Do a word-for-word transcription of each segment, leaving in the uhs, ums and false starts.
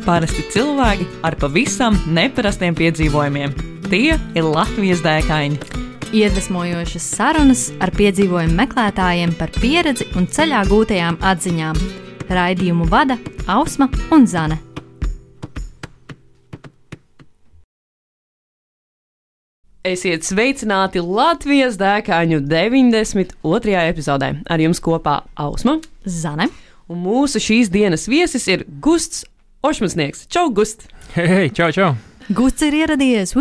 Parasti cilvēki ar pavisam neparastiem piedzīvojumiem. Tie ir Latvijas dēkaini. Iedvesmojošas sarunas ar piedzīvojumu meklētājiem par pieredzi un ceļā gūtajām atziņām. Raidījumu vada Ausma un Zane. Esiet sveicināti Latvijas dēkaņu deviņdesmit otrajā epizodē. Ar jums kopā Ausma, Zane. Un mūsu šīs dienas viesis ir Gusts Ošmansnieks. Čau, Gust! Hei, hei, čau, čau! Gusts ir ieradies!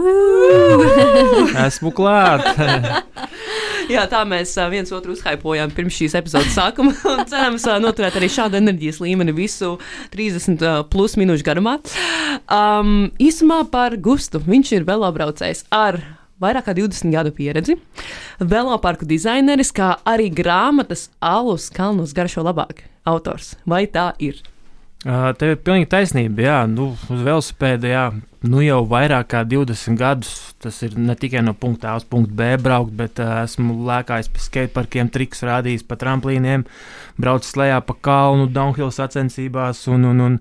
Esmu klāt! Jā, tā mēs viens otru uzhaipojām pirms šīs epizodes sākuma un cerams noturēt arī šādu enerģijas līmeni visu trīsdesmit plus minūšu garumā. Um, īsumā par Gustu. Viņš ir velobraucējs ar vairāk kā divdesmit gadu pieredzi, veloparku dizaineris, kā arī grāmatas Alus kalnos garšo labāk autors. Vai tā ir? Uh, tev ir pilnīgi taisnība, jā, nu, uz velosipēda, jā, nu jau vairāk kā divdesmit gadus, tas ir ne tikai no punkta A uz punktu B braukt, bet uh, esmu lēkājis pa skateparkiem, triks rādījis pa tramplīniem, braucis lejā pa kalnu, downhill sacensībās, un, un, un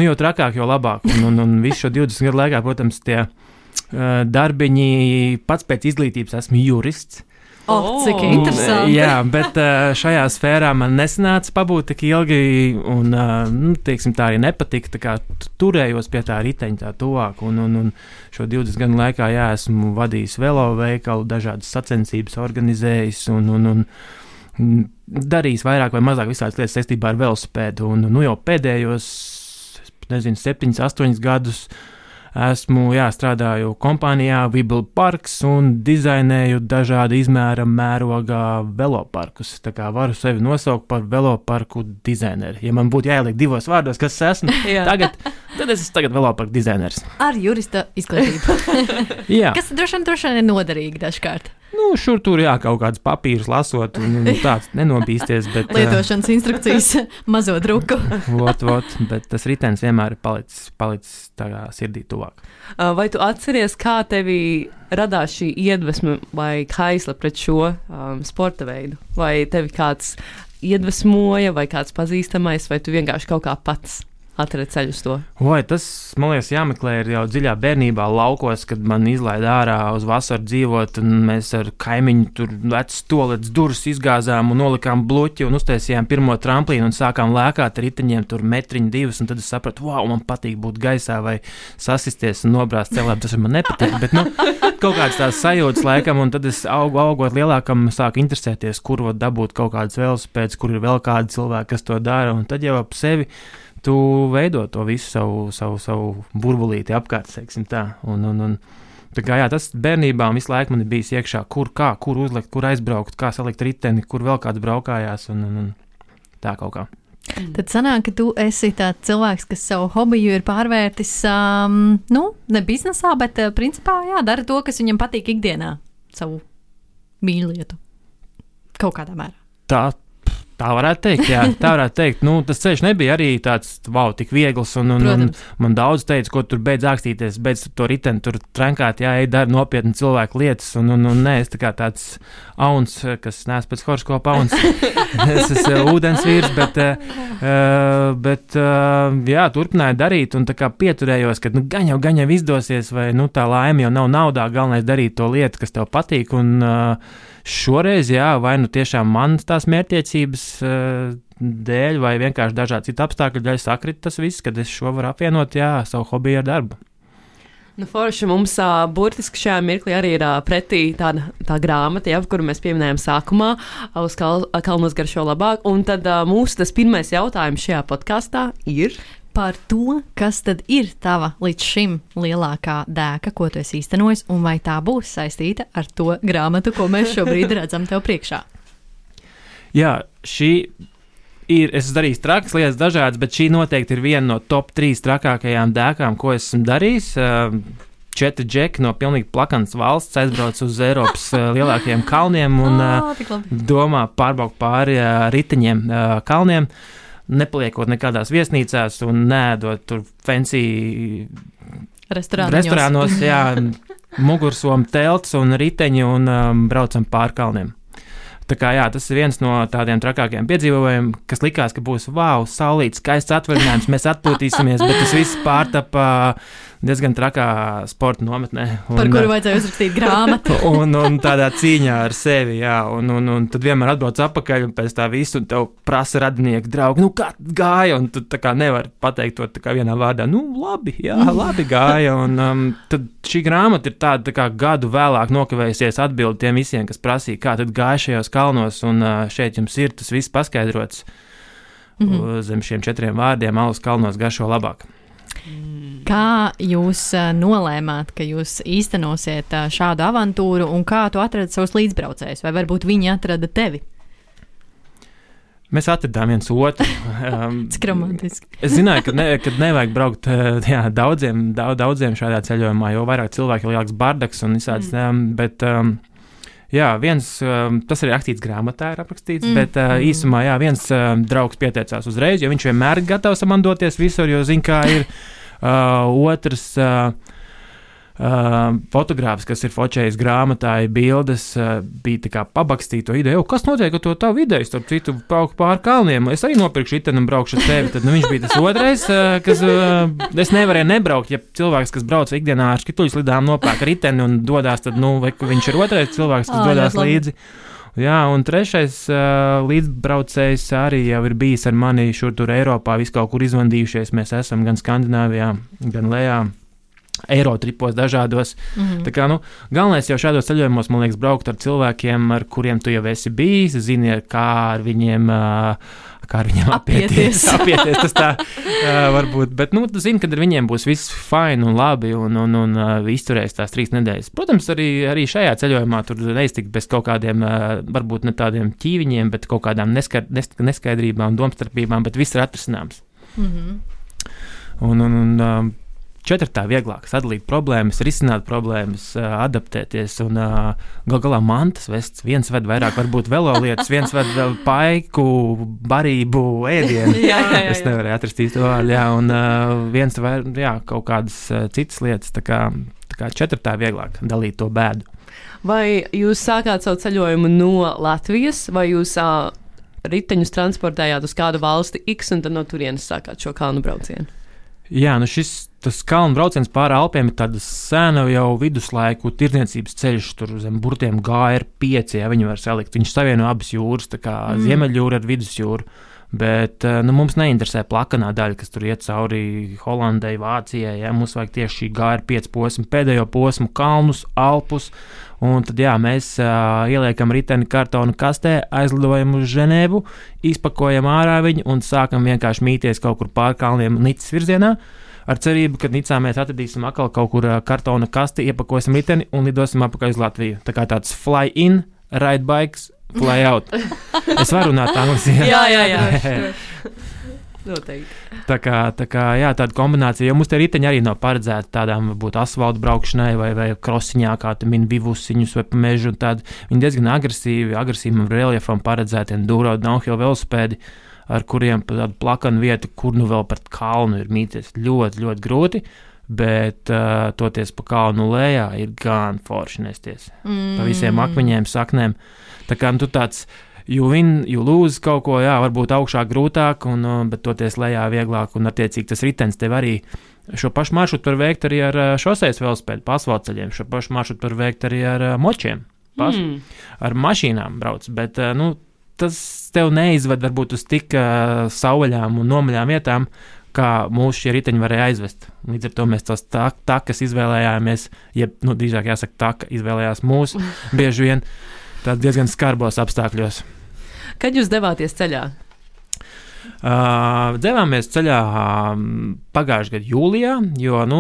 nu jau trakāk, jau labāk, un, un, un visu šo divdesmit gadu laikā, protams, tie uh, darbiņi, pats pēc izglītības esmu jurists. Oh, cik interesanti. Jā, bet uh, šajā sfērā man nesanāca pabūt tik ilgi, un, uh, nu, teiksim, tā arī nepatika, tā kā turējos pie tā riteņa tā tuvāk, un, un, un šo divdesmit gadu laikā, jā, esmu vadījis velo veikalu, dažādas sacensības organizējis, un, un, un darījis vairāk vai mazāk visādas lietas saistībā ar velosipēdu, un, nu, jau pēdējos, nezinu, septiņus, astoņus gadus esmu, jā, strādāju kompānijā Vibble Parks un dizainēju dažādu izmēra mērogā veloparkus. Tā kā varu sevi nosaukt par veloparku dizaineri. Ja man būtu jāieliek divos vārdos, kas es esmu tagad, tad es esmu tagad veloparku dizainers. Ar jurista izglītību. Jā. Kas droši vien, droši vien ir noderīgi dažkārt. Nu, šur tur jā, kaut kāds papīrs lasot, un, un tāds nenobīsties, bet... Lietošanas instrukcijas mazo druku. Vot, vot, bet tas ritenis vienmēr ir palicis, palicis tā sirdī tuvāk. Vai tu atceries, kā tevī radās šī iedvesma vai kaisla pret šo um, sporta veidu? Vai tevi kāds iedvesmoja, vai kāds pazīstamais, vai tu vienkārši kaut kā pats atradi ceļu uz to? Vai, tas, man liekas, jāmeklē ir jau dziļā bērnībā laukos, kad man izlaida ārā uz vasaru dzīvot, un mēs ar kaimiņu tur vecas toaletes durvis izgāzām un nolikām bluķi un uztaisījām pirmo tramplīnu un sākām lēkāt ar riteņiem tur metriņu divus, un tad es sapratu, wow, man patīk būt gaisā vai sasisties un nobrāzt celē, tas man nepatīk, bet, nu, kaut kāds tās sajūtas laikam, un tad es augu, augot lielākam sāku interesēties, kur var dabūt kaut kādas velosipēdas, kur ir vēl kādi cilvēki, kas to dara, un tad jau ap sevi tu veido to visu savu, savu, savu burbulīti apkārt, teiksim tā. Un, un, un, tā kā jā, tas bērnībā visu laiku man ir bijis iekšā, kur kā, kur uzlikt, kur aizbraukt, kā salikt riteni, kur vēl kāds braukājās un, un, un tā kaut kā. Tad sanāk, ka tu esi tāds cilvēks, kas savu hobiju ir pārvērtis, um, nu, ne biznesā, bet uh, principā, jā, dara to, kas viņam patīk ikdienā, savu mīļlietu. Kaut kādā mērā. Tā. Tā varētu teikt, jā, tā varētu teikt. Nu, tas ceļš nebija arī tāds, wow, tik viegls, un, un, un man daudz teica, ko tur beidz ākstīties, beidz to riteni tur trenkāt, jā, ej, dara nopietni cilvēku lietas, un, un, un nē, es tā kā tāds auns, kas neesmu pēc horoskopa auns, es esmu ūdens vīrs, bet, uh, bet uh, jā, turpināju darīt, un tā kā pieturējos, ka, nu, gan jau, gan jau izdosies, vai, nu, tā laime jau nav naudā, galvenais darīt to lietu, kas tev patīk, un uh, šoreiz, jā, vai nu tiešām man tās mērķtiecības uh, dēļ, vai vienkārši dažādi citi apstākļi dēļ sakrit tas viss, kad es šo varu apvienot, jā, savu hobiju ar darbu. Nu, forši mums uh, burtiski šajā mirklī arī ir uh, pretī tāda tā grāmata, ja, kuru mēs pieminējām sākumā, uz kal, kalnos garšo labāk, un tad uh, mūsu tas pirmais jautājums šajā podkastā ir... Par to, kas tad ir tava līdz šim lielākā dēka, ko tu esi īstenojis, un vai tā būs saistīta ar to grāmatu, ko mēs šobrīd redzam tev priekšā? Jā, šī ir, es esmu darījis trakas lietas dažādas, bet šī noteikti ir viena no top trīs trakākajām dēkām, ko esmu darījis. Četri džeki no pilnīgi plakanas valsts aizbrauc uz Eiropas lielākajiem kalniem un oh, domā pārbraukt pāri riteņiem kalniem. Nepaliekot nekādās viesnīcās un neēdot tur fancy restorānos, jā, mugursomu telts un riteņi un um, braucam pāri kalniem. Tā kā jā, tas ir viens no tādiem trakākiem piedzīvojumiem, kas likās, ka būs wow, saulīt, skaists atvaļinājums, mēs atpūtīsimies, bet tas viss pārtapa diezgan trakā sporta nometnē. Un, Par kuru vajadzēja uzrakstīt grāmatu. un, un tādā cīņā ar sevi, jā, un, un, un tad vienmēr atbrauc atpakaļ un pēc tā visu, un tev prasa radinieki, draugi, nu kā gāja, un tu tā kā nevar pateikt to tā kā vienā vārdā, nu labi, jā, labi gāja, un um, tad šī grāmata ir tāda tā kā gadu vēlāk nokavējusies atbildi tiem visiem, kas prasīja, kā tad gāja šajos kalnos, un uh, šeit jums ir tas viss paskaidrots mm-hmm. zem šiem četriem vārdiem, alus kalnos garšo labāk. Kā jūs uh, nolēmāt, ka jūs īstenosiet uh, šādu avantūru, un kā tu atradi savus līdzbraucējus, vai varbūt viņi atrada tevi? Mēs atradām viens otru. Um, Cik romantiski. Es zināju, ka, ne, ka nevajag braukt jā, daudziem, daudz, daudziem šādā ceļojumā, jo vairāk cilvēki ir lielāks bardaks un visāds, mm. um, bet um, jā, viens, um, tas arī rakstīts grāmatā ir aprakstīts, mm. bet uh, īsumā, jā, viens um, draugs pieteicās uzreiz, jo viņš vienmēr ir gatavs man doties visur, jo zin, kā ir uh, otrs uh, Uh, fotogrāfs, kas ir fočējis grāmatā, bildes, uh, bija tā kā pabakstīt to ideju, kas notiek ar to tavu ideju, starp citu brauku pār kalniem, es arī nopirkšu itenu un braukšu ar tevi, tad nu, viņš bija tas otrais, uh, kas, uh, es nevarēju nebraukt, ja cilvēks, kas brauc ikdienā ar skituļu slidām nopērk ar iteni un dodās, tad, nu, vai viņš ir otrais cilvēks, kas oh, dodās līdzi. Jā, un trešais uh, līdzbraucējs arī jau ir bijis ar mani šur tur Eiropā, visu kaut kur izvandījušies, mēs esam gan Skandināvijā, gan Lejā. Eirotripos dažādos. Mm-hmm. Tā kā, nu, galvenais jau šādos ceļojumos, man liekas, braukt ar cilvēkiem, ar kuriem tu jau esi bijis, zini, kā ar viņiem, kā ar viņiem apieties. apieties tas tā varbūt, bet, nu, tu zini, kad ar viņiem būs viss fine un labi un, un, un, un izturēs tās trīs nedēļas. Protams, arī, arī šajā ceļojumā tur neiztikt bez kaut kādiem, varbūt ne tādiem ķīviņiem, bet kaut kādām neskaid, neskaidrībām, domstarpībām, bet viss ir atrisināms. Mm-hmm. Un, un, un četrtā vieglāk sadalīt problēmas, risināt problēmas, adaptēties un gal galā mantas vests. Viens ved vairāk varbūt velolietas, viens ved vēl paiku, barību, ēdienu. jā, jā, jā, jā. Es nevarēju atrast īstu vārdu, jā, un viens vai, jā, kaut kādas citas lietas, tā kā, tā kā četrtā vieglāk dalīt to bēdu. Vai jūs sākāt savu ceļojumu no Latvijas, vai jūs uh, riteņus transportējāt uz kādu valsti X un tad no turienes sākāt šo kalnu braucienu? Jā, nu šis tas kalnu brauciens pāri Alpiem ir tāda sena jau viduslaiku tirdzniecības ceļš, tur zem burtiem G R pieci, ja viņi var salikt. Viņš savieno abas jūras, tā kā mm. Ziemeļjūra ar Vidusjūru, bet nu, mums neinteresē plakanā daļa, kas tur iet cauri Holandai, Vācijai, ja mums vajag tieši šī G R pieci posmu, pēdējo posmu, kalnus, Alpus, un tad jā, mēs uh, ieliekam riteni kartonu kastē, aizlidojam uz Ženēvu, izpakojam ārā viņu un sākam vienkārši mīties kaut kur pār kalniem Nicas virzienā, ar cerību, ka Nicā mēs atradīsim atkal kaut kur uh, kartona kasti, iepakosim riteni un lidosim apakaļ uz Latviju. Tā kā tāds fly in, ride bikes, fly out. Es varu runāt angliski. Jā, jā, jā. Noteikti. Tā kā, tā kā, jā, tāda kombinācija, jo mums tie riteņi arī nav paredzēti tādām, varbūt, asfaltu braukšanai vai, vai krosiņā, kā tu mini vivusiņus vai pa mežu un tādu. Viņi diezgan agresīvi, agresīvam reljefam paredzēti enduro downhill velosipēdi, ar kuriem pa tādu plakanu vietu, kur nu vēl par kalnu ir mīties ļoti, ļoti grūti, bet uh, toties pa kalnu lejā ir gan forši nesties. Mm. Pa visiem akmeņiem, saknēm. Tā kā, nu, tu tāds You win, you lose kaut ko, jā, varbūt augšā grūtāk, un, bet toties lejā vieglāk, un attiecīgi tas ritens tev arī šo pašu maršrutu var veikt arī ar šosejas velosipēdu, pa asfaltceļiem, šo pašu maršrutu var veikt arī ar močiem, pas, mm. ar mašīnām brauc, bet, nu, tas tev neizved varbūt uz tik uh, sauvaļām un nomaļām vietām, kā mūsu šie riteņi varēja aizvest. Līdz ar to mēs tos tak, takas izvēlējāmies, jeb, nu, drīzāk jāsaka, taka izvēlējās mūsu, bieži vien tādi diezgan skarbos apstākļos. Kad jūs devāties ceļā? Uh, devāmies ceļā um, pagājušajā gadā jūlijā, jo nu,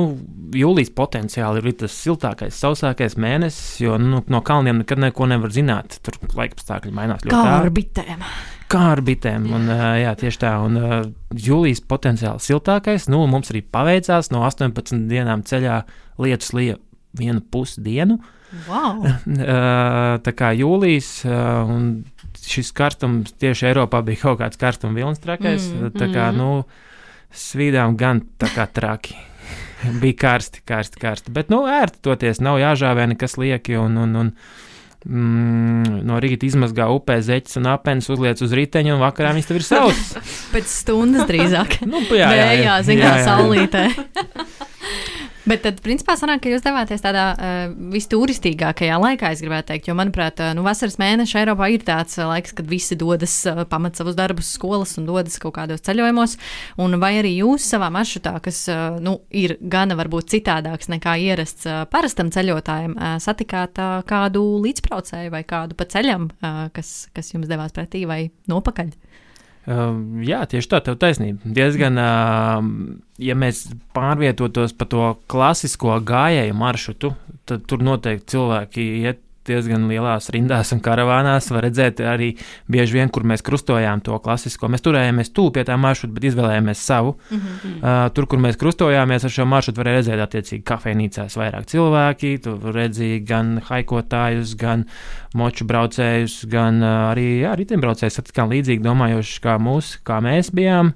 jūlijas potenciāli ir tas siltākais, sausākais mēnesis, jo nu, no kalniem nekad neko nevar zināt. Tur laikapstākļi mainās ļoti ātri. Kā ar bitēm. Kā ar bitēm, un uh, jā, tieši tā. Un uh, jūlijas potenciāli siltākais, nu, mums arī paveicās no astoņpadsmit dienām ceļā lietus lija vienu pusi dienu. Wow. Uh, tā kā jūlijas, uh, un šis karstums tieši Eiropā bija kaut kāds karstuma vilnis trakais, mm, tā kā, mm. nu, svīdām gan tā kā traki. Bija karsti, karsti, karsti, bet, nu, ērti toties, nav jāžāvē nekas lieki, un, un, un mm, no rīta izmazgā upē zeķes un apenes, uzliec uz riteņu, un vakarā viņas tev ir savs. Pēc stundas drīzāk. nu, jā, jā, jā, jā, zin, jā, kā jā. saulītē. Bet tad, principā, sanāk, ka jūs devāties tādā uh, visturistīgākajā laikā, es gribētu teikt, jo, manuprāt, uh, nu, vasaras mēneša Eiropā ir tāds uh, laiks, kad visi dodas, uh, pamat savus darbus skolas un dodas kaut kādos ceļojumos, un vai arī jūs savā maršrutā, kas, uh, nu, ir gana varbūt citādāks nekā ierasts uh, parastam ceļotājiem, uh, satikāt uh, kādu līdzbraucēju vai kādu pa ceļam, uh, kas, kas jums devās pretī vai nopakaļ? Uh, jā, tieši tā, tev taisnība. Diezgan, uh, ja mēs pārvietotos pa to klasisko gājēju maršrutu, tad tur noteikti cilvēki iet diezgan lielās rindās un karavānās. Var redzēt arī bieži vien, kur mēs krustojām to klasisko. Mēs turējāmies tuvu pie tā maršruta, bet izvēlējāmies savu. Mm-hmm. Uh, tur, kur mēs krustojāmies ar šo maršrutu, varēja redzēt attiecīgi kafejnīcās vairāk cilvēki. Tur redzēja gan haikotājus, gan moču braucējus, gan uh, arī jā, riteņbraucējus. Satikām līdzīgi domājoši kā mūs, kā mēs bijām.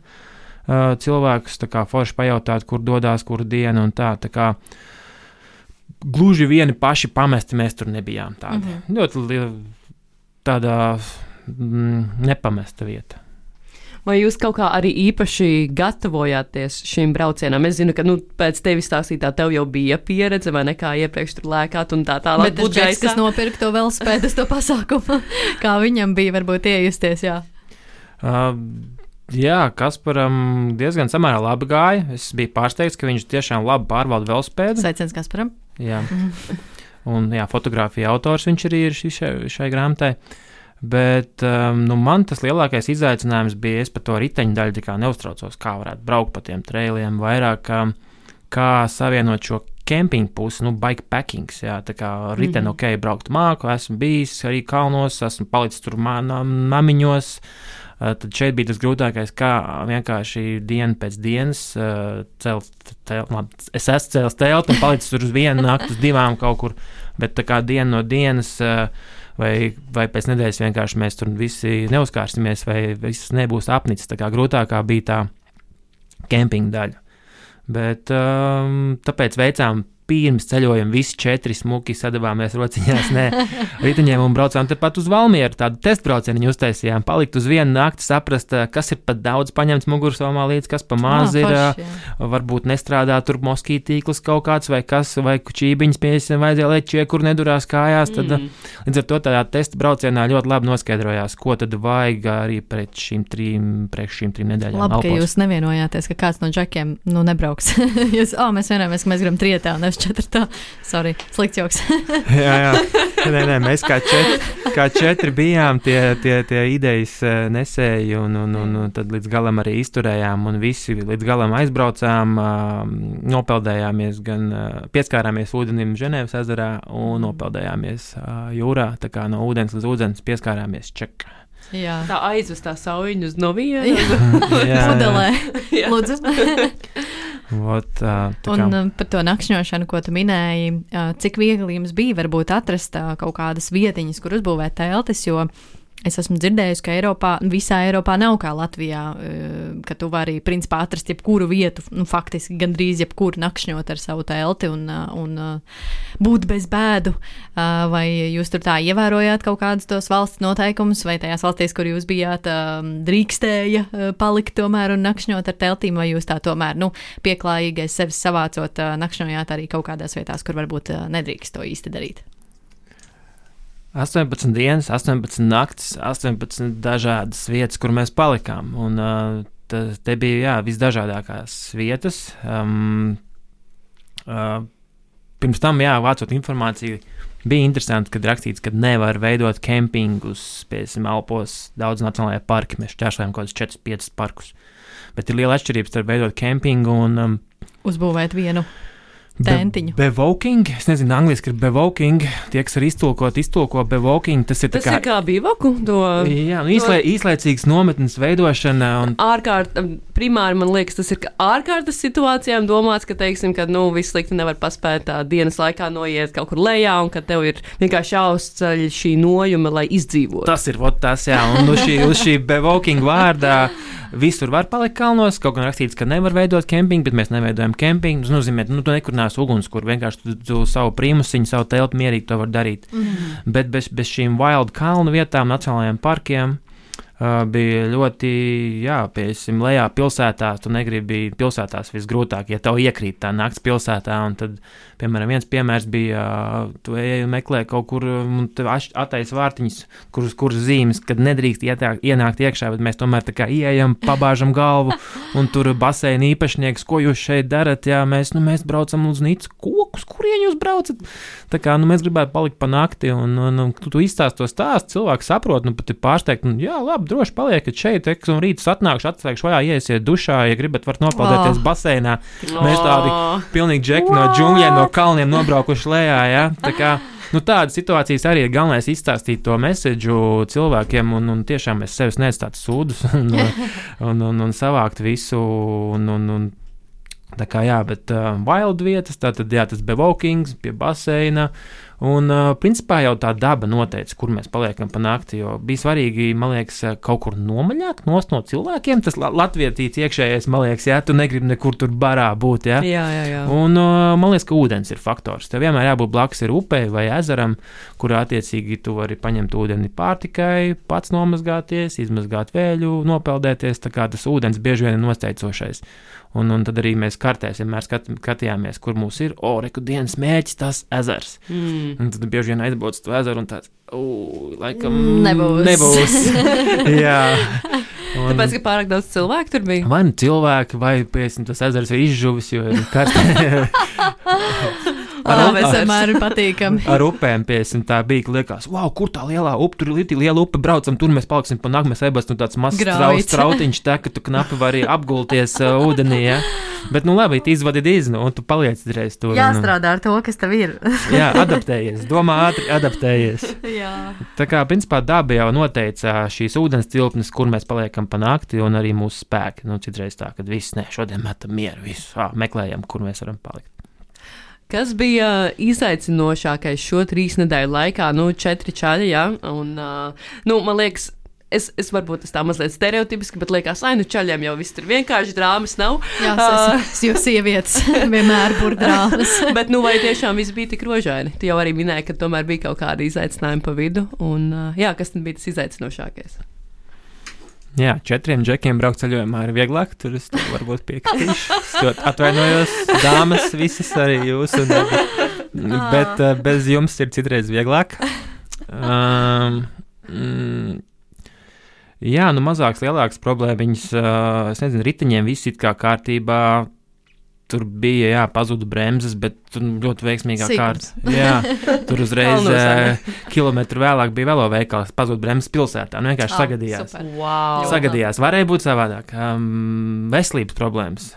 Uh, cilvēkus tā kā forši pajautāt, kur dodās, kuru dienu un tā. Tā kā gluži vieni paši pamesti mēs tur nebijām. Tādi. Mm-hmm. Ļoti liela, tādā mm, nepamesta vieta. Vai jūs kaut kā arī īpaši gatavojāties šim braucienam? Es zinu, ka nu, pēc tevis stāstītā tev jau bija pieredze, vai nekā iepriekš tur lēkāt un tā tālāk. Bet tas džeks, kas nopirka to velospēdas to pasākumu, kā viņam bija varbūt iejusties, jā? Uh, jā, Kasparam diezgan samērā labi gāja. Es biju pārsteigts, ka viņš tiešām labi pārvalda velospēdu. Sveiciens Kasparam. Jā, un jā, fotografija autors viņš arī ir šai, šai grāmatai. Bet um, nu, man tas lielākais izaicinājums bija, es par to riteņu daļu tā kā neuztraucos, kā varētu braukt pa tiem trailiem, vairāk kā, kā savienot šo kempingu pusi, nu, bikepackings, jā, tā kā riteni, mm-hmm. ok, braukt māku, esmu bijis arī kalnos, esmu palicis tur namiņos. Uh, tad šeit bija tas grūtākais, kā vienkārši dienu pēc dienas uh, celt telti. Es esmu cēlis telti un palicis tur uz vienu nakti, uz divām kaut kur, bet tā kā diena no dienas uh, vai, vai pēc nedēļas vienkārši mēs tur visi neuzkārsimies vai viss nebūs apnicis. Tā kā grūtākā bija tā kempinga daļa. Bet um, tāpēc veicām pirms ceļojuma visi četri smuki sadavāmies rociņās, nē, riteņiem un braucām tepat uz Valmieru, tādu testbraucienu uztaisījām, palikt uz vienu nakti, saprast, kas ir pat daudz paņemts mugursomā līdz, kas pa maz ir, forši, varbūt nestrādā tur moskītīklis kaut kāds vai kas, vai čībiņas piesim vajadzēja lečie, kur nedurās kājās, tad mm. līdz ar to tādā testa braucienā ļoti labi noskaidrojās, ko tad vajag arī pret šīm trim, priekš šīm trim nedēļām. Labi, Alpos. Ka jūs nevienojāties, ka kāds no džekiem, nu, nebrauks. jūs, oh, mēs vienojamies, ka mēs gribam trietā un četrtā. Sorry, slikts joks. jā, jā. Nē, nē, mēs kā četri, kā četri bijām tie, tie, tie idejas nesēji un, un, un, un tad līdz galam arī izturējām un visi līdz galam aizbraucām, nopeldējāmies gan, pieskārāmies ūdenim Ženēvas ezerā un nopeldējāmies jūrā, tā kā no ūdens līdz ūdens pieskārāmies ček. Jā. Tā aizvestā sauļņus no viena. Pudelē. Lūdzu. Ot, uh, un uh, par to nakšņošanu, ko tu minēji, uh, cik viegli jums bija varbūt atrast uh, kaut kādas vietiņas, kur uzbūvēt teltis, jo es esmu dzirdējusi, ka Eiropā, visā Eiropā nav kā Latvijā, uh, ka tu vari principā atrast jebkuru vietu, nu faktiski gandrīz jebkuru nakšņot ar savu telti un, uh, un uh, būt bez bēdu, uh, vai jūs tur tā ievērojāt kaut kādus tos valsts noteikumus, vai tajās valstīs, kur jūs bijāt, uh, drīkstēja uh, palikt tomēr un nakšņot ar teltīm, vai jūs tā tomēr, nu, pieklājīgais sevis savācot, uh, nakšņojāt arī kaut kādās vietās, kur varbūt uh, nedrīkst to īsti darīt? astoņpadsmit dienas, astoņpadsmit naktis, astoņpadsmit dažādas vietas, kur mēs palikām. Un uh, te, te bija, jā, visdažādākās vietas. Um, uh, pirms tam, jā, vācot informāciju, bija interesanti, kad rakstīts, ka nevar veidot kempingus, piemēram, Alpos, daudz nacionālajā parki. Mēs šķērsojam kaut kādus četrus piecus parkus. Bet ir liela atšķirība starp veidot kempingu un um, uzbūvēt vienu tentiņu. Be, bevoking, es nezinu, angliski ir bevoking, tie, kas ir iztulkot, iztulko bevoking, tas ir tas tā kā... Tas ir kā bivaku? To, jā, nu, īslē, to... īslaicīgas nometnes veidošana un... Ārkārt, primāri man liekas, tas ir ka ārkārtas situācijām domāts, ka, teiksim, ka, nu, viss slikti nevar paspēt tā dienas laikā noiet kaut kur lejā un ka tev ir vienkārši jāuzceļ šī nojuma, lai izdzīvotu. Tas ir, vot tas, jā, un uz šī, uz šī bevoking vārdā visur var palikt kalnos, kaut gan rakstīts, ka nevar veidot kempingu, bet mēs neveidojam kempingu, tas nozīmē, nu, tu nekur galvenās uguns, kur vienkārši tu, tu savu prīmusiņu, savu telpu mierīgi to var darīt. Mm. Bet bez, bez šīm wild kalnu vietām, nacionālajiem parkiem, Uh, bija ļoti, jā, piesim, lejā pilsētās, tu negribi pilsētās visgrūtāk, ja tev iekrīt tā nakts pilsētā, un tad, piemēram, viens piemērs bija, uh, tu ej un meklē kaut kur, un tev attais vārtiņas, kuras kur zīmes, kad nedrīkst ietāk, ienākt iekšā, bet mēs tomēr tā kā ieejam, pabāžam galvu, un tur baseina īpašnieks, ko jūs šeit darat, jā, mēs, nu, mēs braucam uz Nicu, ko, uz kurien jūs braucat? Tā kā, nu, mēs gribētu palikt pa nakti, un, un, un tu, tu izstāst to stāstu, cilvēks saprot, nu, pat ir pārsteigt, un jā, labi, droši paliekat šeit, eks, un rītus atnākšu, atslēgšu vajā, iesiet dušā, ja gribat, varat nopeldēties oh. baseinā. Mēs tādi pilnīgi džeki no džungļiem, no kalniem nobraukuši lejā, ja? Tā kā, nu tādas situācijas arī ir galvenais izstāstīt to meseģu cilvēkiem, un, un tiešām mēs sevis neatstāt sūdus, un, un, un, un savākt visu, un, un, un tā kā jā, bet uh, wild vietas, tātad jā, tas bevokings pie baseina, un uh, principā jau tā daba noteica, kur mēs paliekam pa nakti, jo bija svarīgi, man liekas, kaut kur nomaļāk nost no cilvēkiem, tas la- latvietīts iekšējais, man liekas, jā, tu negribi nekur tur barā būt, jā. Jā, jā, jā. Un uh, man liekas, ka ūdens ir faktors. Tev vienmēr jābūt blakus ir upei vai ezeram, kurā attiecīgi tu vari paņemt ūdeni pārtikai, pats nomazgāties, izmazgāt vēļu, nopeldēties, tā kā tas ūdens bieži vien ir nosteicošais. Un, un tad arī mēs kartēs vienmēr skat, skatījāmies, kur mums ir, o, reku dienas mērķis, tas ezers. Mm. Un tad bieži vien aizbrauc to ezeru un tāds, o, laikam nebūs. nebūs. Jā. Un, tāpēc, ka pārāk daudz cilvēku tur bija? Vai nu cilvēki, vai, piemēram, tas ezers ir izžuvis, jo ir karstē. Ar, ar, ar, vienmēr ir patīkami. Ar upēm, piemēram, tā bija, ka liekas, wow, kur tā lielā upe, tur ir liela upe, braucam, tur mēs paliksim pa nakti, mēs ebas, nu tāds mazs strauts, trautiņš tā, ka tu knapi vari apgulties uh, ūdenī, ja? Bet, nu labi, izvadi dīznu, un tu paliec reiz tur. Jāstrādā ar to, kas tev ir. Jā, adaptējies, domā ātri, adaptējies. Jā. Tā kā, principā, daba jau noteica šīs ūdens tilpnes, kur mēs paliekam pa nakti, un arī mūsu spēki. Nu, citreiz tā, kad viss, ne, šodien metam mieru, visu, ā, meklējam, kur mēs varam palikt. Kas bija izaicinošākais šo trīs nedēļu laikā? Nu, četri čaļi, jā, un, uh, nu, man liekas, es, es varbūt tas tā mazliet stereotipiski, bet liekas, ai, nu, čaļiem jau viss tur vienkārši drāmas nav. Jā, es, es, jo sievietes vienmēr būr drāmas. Bet, nu, vai tiešām viss bija tik rožaini? Tu jau arī minēji, ka tomēr bija kaut kādi izaicinājumi pa vidu, un, uh, jā, kas tad bija tas izaicinošākais? Jā, četriem džekiem braukt ceļojumā ir vieglāk, tur es varbūt piekritīšu. Es atvainojos, dāmas, visas arī jūs, un, bet uh, bez jums ir citreiz vieglāk. Um, mm, jā, nu mazāks, lielāks problēmiņas, uh, es nezinu, riteņiem viss it kā kārtībā, tur bija, jā, pazuda bremzes, bet tur ļoti veiksmīgā kārta. Jā, tur uzreiz uh, kilometru vēlāk bija veloveikals, pazuda bremzes pilsētā, nu vienkārši oh, sagadījās. Wow. Sagadījās, varēja būt savādāk. Um, veselības problēmas.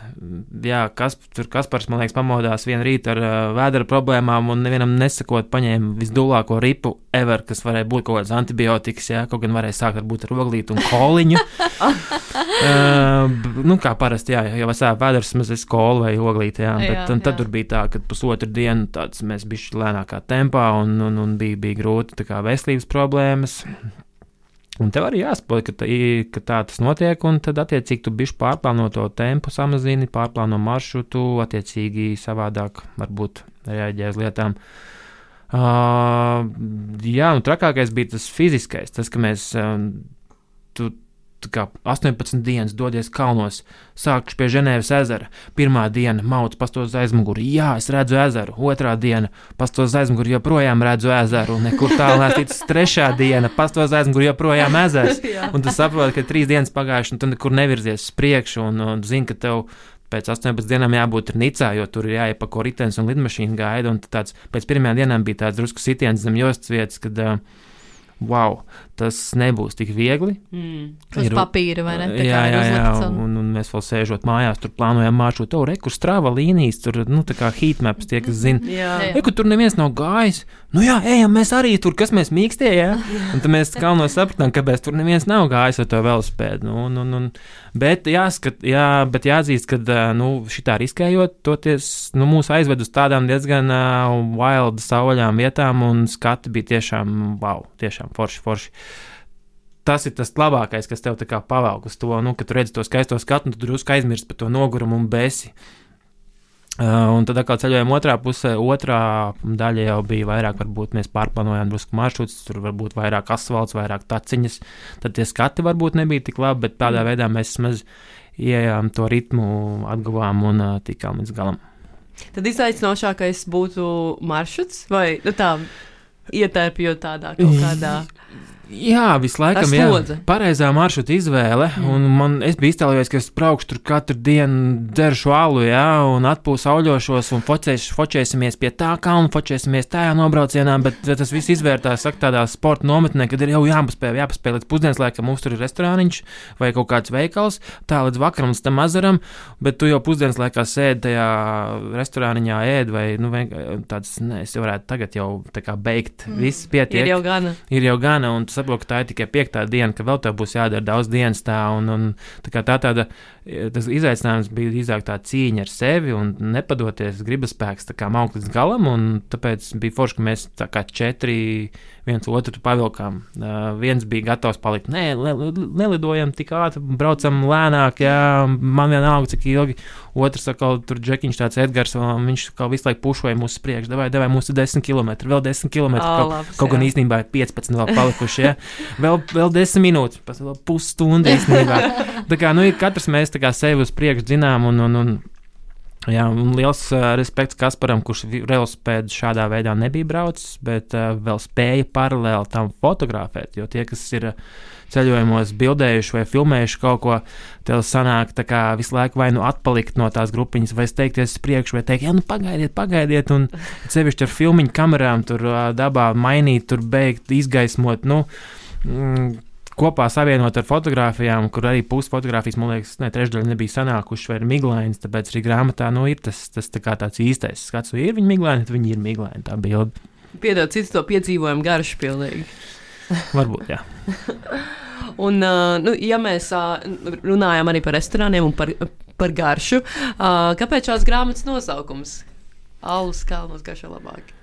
Jā, kas, tur Kaspars, man liekas, pamodās vienu rītu ar uh, vēdera problēmām un nevienam nesakot paņēma visdulāko ripu ever, kas varēja būt kaut kāds antibiotikas, jā, kaut gan varēja sākt varbūt ar oglītu un koliņu. uh, nu, kā parasti, jā, jau sāp vēders mazliet kolu vai oglīti, jā, bet jā, tad jā. Tur bija tā, ka pusotru dienu tāds mēs bišķi lēnākā tempā un, un, un bija, bija grūti tā kā veselības problēmas. Un tev arī jāsaprot, ka, tā, ka tā tas notiek, un tad attiecīgi tu bišķi pārplāno to tempu, samazini, pārplāno maršrutu, attiecīgi savādāk varbūt reaģē uz lietām. Uh, jā, un trakākais bija tas fiziskais, tas, ka mēs uh, tu, kā astoņpadsmit dienas dodies kalnos, sākšu pie Ženēvas ezera. Pirmā diena mauc pastos aizmuguri, jā, es redzu ezeru. Otrā diena pastos aizmuguri, joprojām redzu ezeru. Nekur tālu nesticis. Trešā diena pastos aizmuguri, joprojām ezers. Un tu saproti, ka trīs dienas pagājuši, un tu nekur nevirzies uz priekšu, un, un zini, ka tev pēc astoņpadsmit dienām jābūt Nicā, jo tur ir jāiepako ritenis un lidmašīna gaida, un tāds, pēc pirmajām dienām bija tāds drusku sitiens zem jostas vietas, kad uh, wow, tas nebūs tik viegli. Mm. Uz papīra, vai ne? Tā jā, jā, jā, un... un, un mēs vēl sēžot mājās, tur plānojam maršrutu, tur rekur strāva līnijas, tur, nu, tā kā heatmaps tie, kas zina. Jā. Reku, tur neviens nav gājis. Nu jā, ejam, mēs arī tur, kas mēs mīkstie, jā. Un tad mēs galveno sapratām, kāpēc tur neviens nav gājis ar to velospēdu. Nu, un, un, un, bet jāskat, jā, bet jāatzīst, ka, nu, šitā riskējot, toties, nu, mūs aizved uz tādām diezgan uh, wild sauļām vietām, un skati bija tiešām, wow, tiešām forši, forši. Tas ir tas labākais, kas tev tā kā pavelk uz to, nu, kad tu redzi to skaisto skatu, un tu drusku aizmirsti par to nogurumu un besi. Uh, un tad, kā ceļojām otrā pusē, otrā daļa jau bija vairāk, varbūt mēs pārplānojām drusku maršrutus, tur varbūt vairāk asfalts, vairāk taciņas, tad tie skati varbūt nebija tik labi, bet tādā veidā mēs maz ieejām to ritmu, atguvām un uh, tikām līdz galam. Tad izaicinošākais būtu maršruts vai nu, tā ietērpjot tādā kaut kādā... Jā, visu laikam, jā, pareizā maršruta izvēle, mm. un man, es biju iztēlojies, ka es braukšu tur katru dienu, dzeršu alu, jā, un atpūs auļošos, un focēš, fočēsimies pie tā kalna, fočēsimies tajā nobraucienā, bet tas viss izvērtās, saka, tādā sporta nometnē, kad ir jau jāpaspēj, jāpaspēj līdz pusdienas laikam, mums tur ir restorāniņš vai kaut kāds veikals, tā līdz vakaram, līdz tam azaram, bet tu jau pusdienas laikā sēdi tajā restorāniņā ēd, vai, nu, tāds, ne, es jau varētu tagad jau tā kā beigt, mm. viss pietiek. Ir jau gana. Ir jau gana, un saprotu, ka tā ir tikai piektā diena, ka vēl tev būs jādara daudz dienas tā, un, un tā kā tā tāda, tas izaicinājums bija izāk tā cīņa ar sevi un nepadoties, gribaspēks tā kā mauk līdz galam, un tāpēc bija forši, ka mēs tā kā četri viens otru pavilkām. Uh, viens bija gatavs palikt, nē, ne, nelidojam tik ātri, braucam lēnāk, jā, man vienalga, cik ilgi. Otrs atkal tur džekiņš tāds Edgars, viņš kā visu laiku pušoja mūsu priekš, davai, davai, mūsu desmit kilometri, vēl desmit kilometri, oh, kaut, labs, kaut gan īstenībā ir piecpadsmit vēl palikuši, jā, vēl, vēl desmit minūtes, pēc vēl pusstunda īstenībā. Tā kā, nu, katrs mēs tā kā sevi uz priekšu dzinām, un, un, un jā, un liels uh, respekts Kasparam, kurš velosipēdu šādā veidā nebija braucis, bet uh, vēl spēja paralēli tam fotografēt, jo tie, kas ir uh, ceļojumos bildējuši vai filmējuši kaut ko, tev sanāk tā kā visu laiku vai nu atpalikt no tās grupiņas, vai steigties priekš, vai teikt, jā, nu pagaidiet, pagaidiet, un sevišķi ar filmiņu kamerām tur uh, dabā mainīt, tur beigt, izgaismot, nu, mm, kopā savienot ar fotogrāfijām, kur arī pusi fotogrāfijas, man liekas, ne, trešdaļa nebija sanākuši, vai ir miglainas, tāpēc arī grāmatā, nu, ir tas, tas tā kā tāds īstais skats, vai ir viņi miglaini, tad viņi ir miglaini, tā bilde. Piedod, cits to piedzīvojumu garšu pilnīgi. Varbūt, jā. Un, uh, nu, ja mēs uh, runājam arī par restorāniem un par, par garšu, uh, kāpēc šās grāmatas nosaukums? Alus kalnos garšo labāk.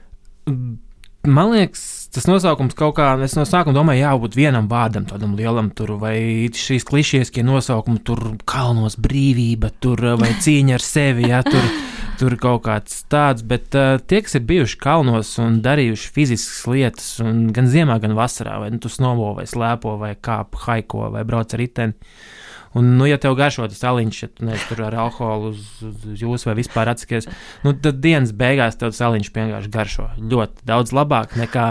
Man liekas, tas nosaukums kaut kā, es no sākuma domāju, jābūt vienam vārdam, tādam lielam tur, vai šīs klišieskie nosaukumi, tur kalnos brīvība, tur, vai cīņa ar sevi, jā, tur, tur kaut kāds tāds, bet uh, tie, kas ir bijuši kalnos un darījuši fiziskas lietas, un gan ziemā, gan vasarā, vai nu tu snovo, vai slēpo, vai kāp, haiko, vai brauc ar riteni, un, nu, ja tev garšo tas aliņš, ja tu neesi tur ar alkoholu uz, uz jūs vai vispār atsakies, nu, tad dienas beigās tev tas aliņš vienkārši garšo ļoti daudz labāk nekā,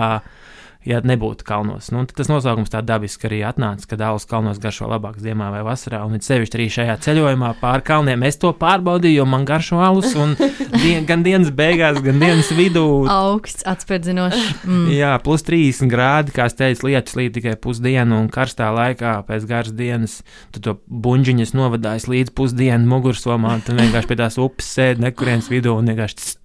ja nebūtu kalnos. Nu, tas nosaukums tā dabiski arī atnāca, kad alus kalnos garšo labāk ziemā vai vasarā, un it sevišķi arī šajā ceļojumā pār kalniem es to pārbaudīju, jo man garšo alus, un dien, gan dienas beigās, gan dienas vidū. Augsts, atspērdzinošs. Mm. Jā, plus trīsdesmit grādi, kā es teicu, lietus līdz tikai pusdienu, un karstā laikā pēc garas dienas tu to buņģiņas novadājas līdz pusdienu mugursomā, un tu vienkārši pie tās upes sēdi nekurienes vidū, un vienkārši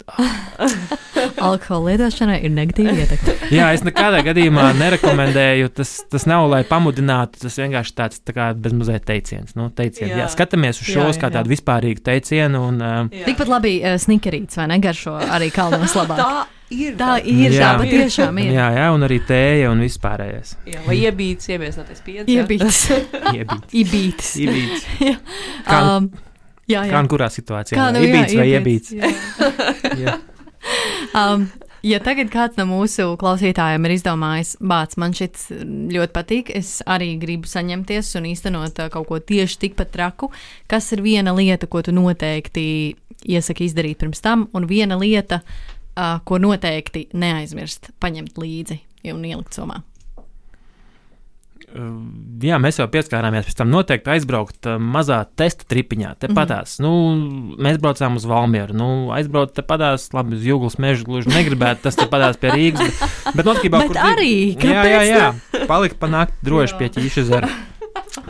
alkohola lietošanai ir negatīva ietekme. Jā, es nekādā gadījumā nerekomendēju, tas, tas nav, lai pamudinātu, tas vienkārši tāds tā kā bezmazliet teiciens. Nu, teiciens. Jā. Jā, skatāmies uz šos jā, jā, kā tādu vispārīgu teicienu. Un, uh, tikpat labi uh, snikerīts, vai ne, garšo arī kalnos labāk. Tā ir. Tā ir, jā, tā patiešām ir. Jā, jā, un arī tēja un vispārējais. Jā, vai iebīts, iebiesnoties piens. Iebīts. Iebīts. Ibīts. Ibīts. Jā. Kā, um, jā, jā. Kā un kurā situācijā? Kā, nu, ibīts jā, vai iebīts? iebīts? Jā. Um, ja tagad kāds no mūsu klausītājiem ir izdomājis, bāc, man šis ļoti patīk, es arī gribu saņemties un īstenot uh, kaut ko tieši tikpat traku, kas ir viena lieta, ko tu noteikti iesaki izdarīt pirms tam, un viena lieta, uh, ko noteikti neaizmirst paņemt līdzi un ielikt somā. Jā, mēs jau pieskārāmies pēc tam noteikti aizbraukt mazā testa tripiņā, te patās. Mm-hmm. Nu, mēs braucām uz Valmieru, nu, aizbraukt te patās, labi, uz Jūglas mežu gluži negribētu, tas te patās pie Rīgas, bet, bet notkībā, bet kur... arī, jā, jā, jā, palikt pa nakti droši pie Ķīša zara.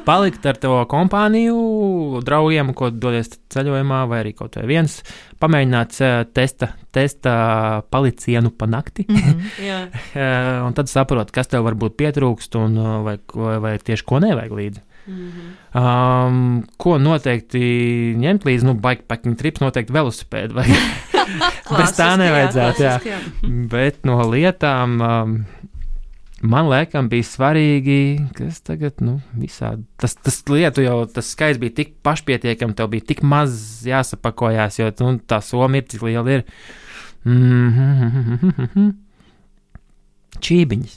Palikt ar to kompāniju, draugiem, ko dodies ceļojumā, vai arī kaut vai viens, pamēģināt testa, testa palicienu pa nakti, mm-hmm. un tad saprot, kas tev varbūt pietrūkst, un vai, vai, vai tieši ko nevajag līdzi. Mm-hmm. Um, ko noteikti ņemt līdzi, nu, bikepacking trips noteikti velosipēdu, vai bez tā nevajadzētu, jā. jā. Bet no lietām... Um, Man liekas, bija svarīgi, kas tagad, nu, visādi. Tas, tas lietu jau, tas skaits bija tik pašpietiekami, tev bija tik maz jāsapakojās, jo, nu, tā soma ir, cik liela ir. Mm-hmm. Čībiņas.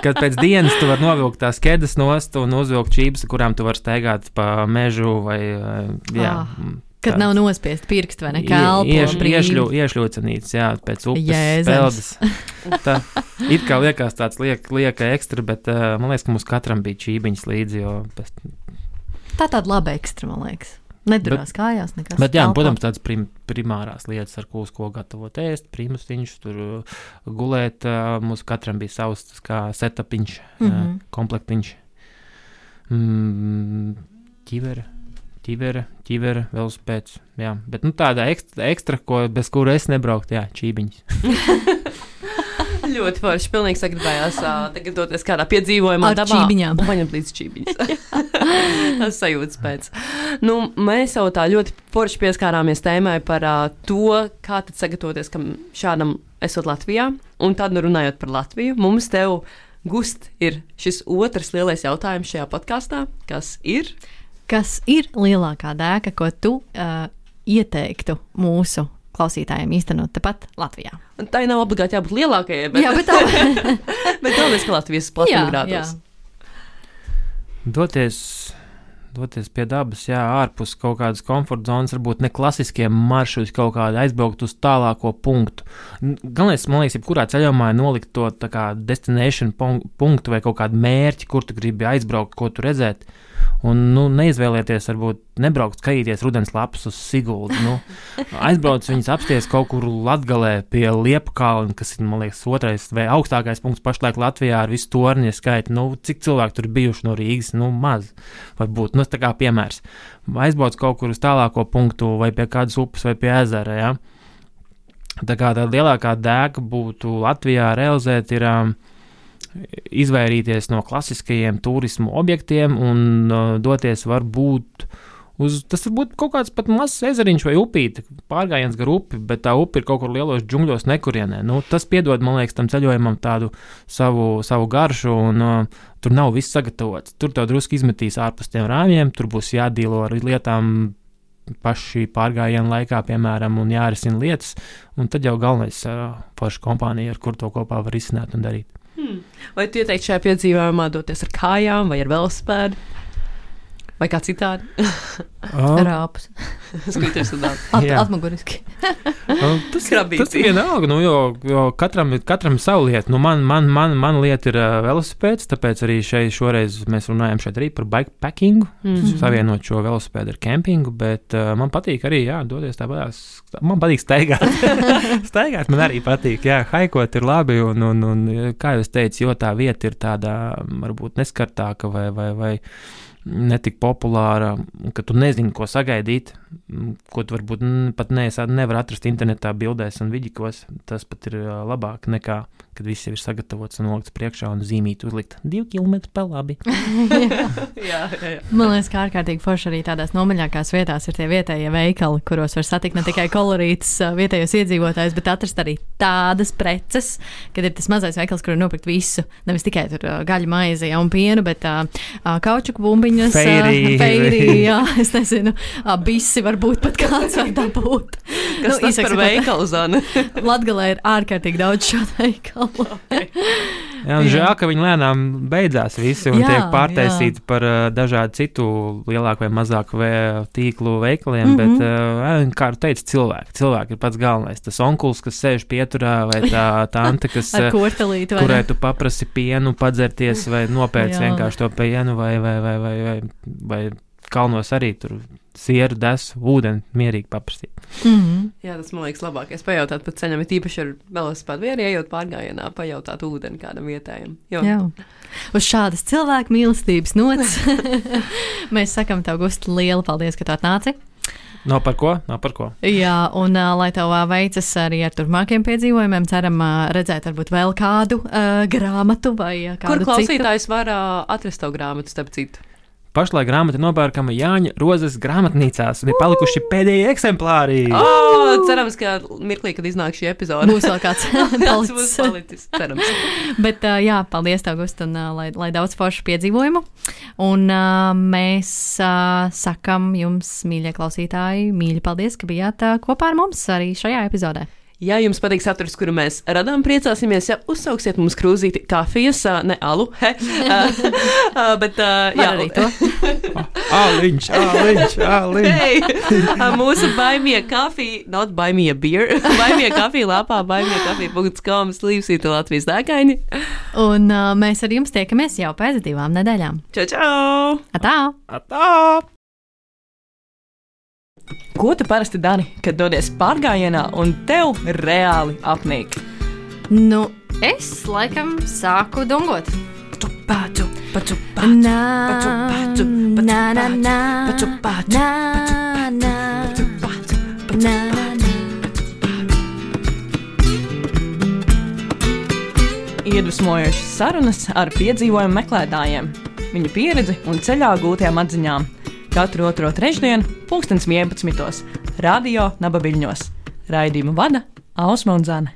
Kad pēc dienas tu vari novilkt tās ķēdes nost un uzvilkt čības, kurām tu vari staigāt pa mežu vai, jā. Ah, kad nav nospiest pirkstu vai nekā elpo ieš, brīvi. Iešļu, iešļūcenīts, jā, pēc upes Jēzems. peldes. Tā, it kā liekas tāds liek, lieka ekstra, bet uh, man liekas, ka mums katram bija čībiņas līdzi, jo... Pēc... Tā tāda laba ekstra, man liekas. Nedurās bet, kājās nekas. Bet jā, telpā. protams, tādas prim, primārās lietas, ar ko, ko gatavot ēst, primustiņš, tur uh, gulēt, uh, mums katram bija savs, tas kā setapiņš, mm-hmm. uh, komplektiņš, mm, ķivere, ķivere, ķivere, velosipēds, jā. Bet, nu, tāda ekstra, ekstra ko, bez kura es nebrauktu, jā, čībiņas. Ļoti forši. Pilnīgi sagribējās uh, tagad doties kādā piedzīvojumā ar dabā. Čībiņām. Un paņemt līdz čībiņas. Tas sajūtas pēc. Nu, mēs jau tā ļoti forši pieskārāmies tēmai par uh, to, kā tad sagatavoties kam šādam esot Latvijā. Un tad, nu, runājot par Latviju, mums tev gust ir šis otrs lielais jautājums šajā podkāstā, kas ir? Kas ir lielākā dēka, ko tu uh, ieteiktu mūsu klausītājiem īstenot tepat Latvijā? Tā nav obligāti jābūt lielākajai, bet, jā, bet, tā... bet galvenais, ka Latvijas platuma grādos. Doties, doties pie dabas, jā, ārpus kaut kādas komforta zonas, varbūt ne klasiskie maršruti, kaut kādi aizbraukt uz tālāko punktu. Galvenais, man liekas, jebkurā ceļojumā ir nolikt to tā kā destination punktu vai kaut kādu mērķi, kur tu gribi aizbraukt, ko tu redzēt. Un, nu, neizvēlieties, varbūt nebraukt skatīties rudens lapas uz Siguldu. Nu, aizbrauc viņas apsties kaut kur Latgalē pie Liepkalna, kas ir, man liekas, otrais vai augstākais punkts pašlaik Latvijā ar visu torņa skaitu. Nu, cik cilvēki tur ir bijuši no Rīgas? Nu, maz. Varbūt, nu, tā kā piemērs. Aizbrauc kaut kur uz tālāko punktu vai pie kādas upes vai pie ezera, ja? Tā kā tā lielākā dēka būtu Latvijā realizēt ir... Um, izvairīties no klasiskajiem turismu objektiem un uh, doties varbūt uz, tas varbūt kaut kāds pat mazs ezeriņš vai upīte, pārgājiens gar upi, bet tā upi ir kaut kur lielos džungļos nekurienē. Nu, tas piedod, man liekas, tam ceļojumam tādu savu, savu garšu un uh, tur nav viss sagatavots. Tur tev drusku izmetīs ārpus tiem rāmjiem, tur būs jādīlo ar lietām paši pārgājienu laikā, piemēram, un jārisina lietas, un tad jau galvenais uh, forša kompānija, ar kur to kopā var izsināt un darīt. Hmm. Vai tu ieteiktu šajā piedzīvojumā doties ar kājām vai ar velosipēdu? Vai kā citādi? Oh. Rāpus. Skriters un dāvā. At, atmuguriski. oh, tas, tas ir vienalga, nu, jo, jo katram, katram savu lietu. Nu, man, man, man, man lieta ir uh, velosipēds, tāpēc arī šeit šoreiz mēs runājam šeit arī par bikepackingu, mm-hmm. savienot šo velosipēdu ar kempingu, bet uh, man patīk arī, jā, doties tāpēc, man patīk staigāt. Staigāt man arī patīk, jā, haikot ir labi, un, un, un kā jau es teicu, jo tā vieta ir tāda, varbūt neskartāka vai, vai, vai netik populāra, ka tu nezini, ko sagaidīt, ko tu varbūt pat ne, nevar atrast internetā bildēs un vidikos. Tas pat ir labāk nekā, kad viss jau ir sagatavots un nolikts priekšā un zīmīt uzlikt divi kilometri pa labi. jā, jā, jā. Man liekas, kā ārkārtīgi forši arī tādās nomaļākās vietās ir tie vietējie veikali, kuros var satikt ne tikai kolorītus vietējos iedzīvotājus, bet atrast arī tādas preces, kad ir tas mazais veikals, kur var nopirkt visu. Nevis tikai tur gaļu maizi, ja, un pienu, bet uh, kaučuku bumbiņas, feirī, feirī, jā, es nezinu, uh, bisi varbūt pat kāds var dabūt. Kas nu, tas par veikalu, Zana? Latgalē ir ārkārtīgi daudz šādu veikalu. Jā, un žēl, ka viņi lēnām beidzās visi un jā, tiek pārtaisīti jā. par uh, dažādu citu lielāku vai mazāku vē, tīklu veikaliem, mm-hmm. bet, uh, kā teica, cilvēki. Cilvēki ir pats galvenais. Tas onkuls, kas sēž pieturā, vai tā tante, kas, kurai tu paprasi pienu, padzerties vai nopērc vienkārši to pienu, vai, vai, vai, vai, vai, vai kalnos arī tur sieru, desu, ūdeni mierīgi paprasīt. Mm-hmm. Jā, tas man liekas labākais. Pajautāt pat ceļam, ir īpaši ar velosipēdu vai arī ejot pārgājienā, pajautāt ūdeni kādam vietējam. Jo. Jā. Uz šādas cilvēku mīlestības nots mēs sakam tev, Gusti, lielu paldies, ka tu atnāci. No par ko? No par ko? Jā, un uh, lai tev uh, veicas arī ar turpmākiem piedzīvojumiem, ceram uh, redzēt varbūt vēl kādu uh, grāmatu vai uh, kādu Kur klausītājs citu. var uh, atrast tavu grāmatu, starp citu? Pašlaik grāmata nopērkama Jāņa Rozes grāmatnīcās un ir palikuši pēdējie eksemplāri. Oh, cerams, ka mirklī, kad iznāk šī epizode, būs vēl kāds tāds būs palicis. Cerams. Bet uh, jā, paldies tev, Gust, un uh, lai, lai daudz foršu piedzīvojumu. Un uh, mēs uh, sakam jums, mīļie klausītāji, mīļi paldies, ka bijāt uh, kopā ar mums arī šajā epizodē. Ja jums patīk saturs, kuru mēs radām, priecāsimies, ja uzsauksiet mums krūzīti kafijas, ne alu, he, uh, bet, uh, jā, arī to. Āliņš, āliņš, āliņš. Hey, mūsu baimie kafija, not baimie beer, baimie kafija lapā, baimie kafija punkts com, slīpsīta Latvijas dēkaini. Un uh, mēs ar jums tiekamies jau pēc divām nedēļām. Čau, čau! Atā! Atā! Ko tu parasti dari, kad dodies pārgājienā un tev reāli apnīk? Nu, es laikam sāku dungot. Paču, paču, paču, paču, paču, paču, na, na, na, paču, paču, na, na, paču, paču, paču, na, na. Iedvesmojošas sarunas ar piedzīvojumu meklētājiem, viņu pieredzi un ceļā gūtajām atziņām. Katru otro trešdienu, pulkstens vienpadsmitos, radio Nabaviļņos. Raidījumu vada Ausma un Zane.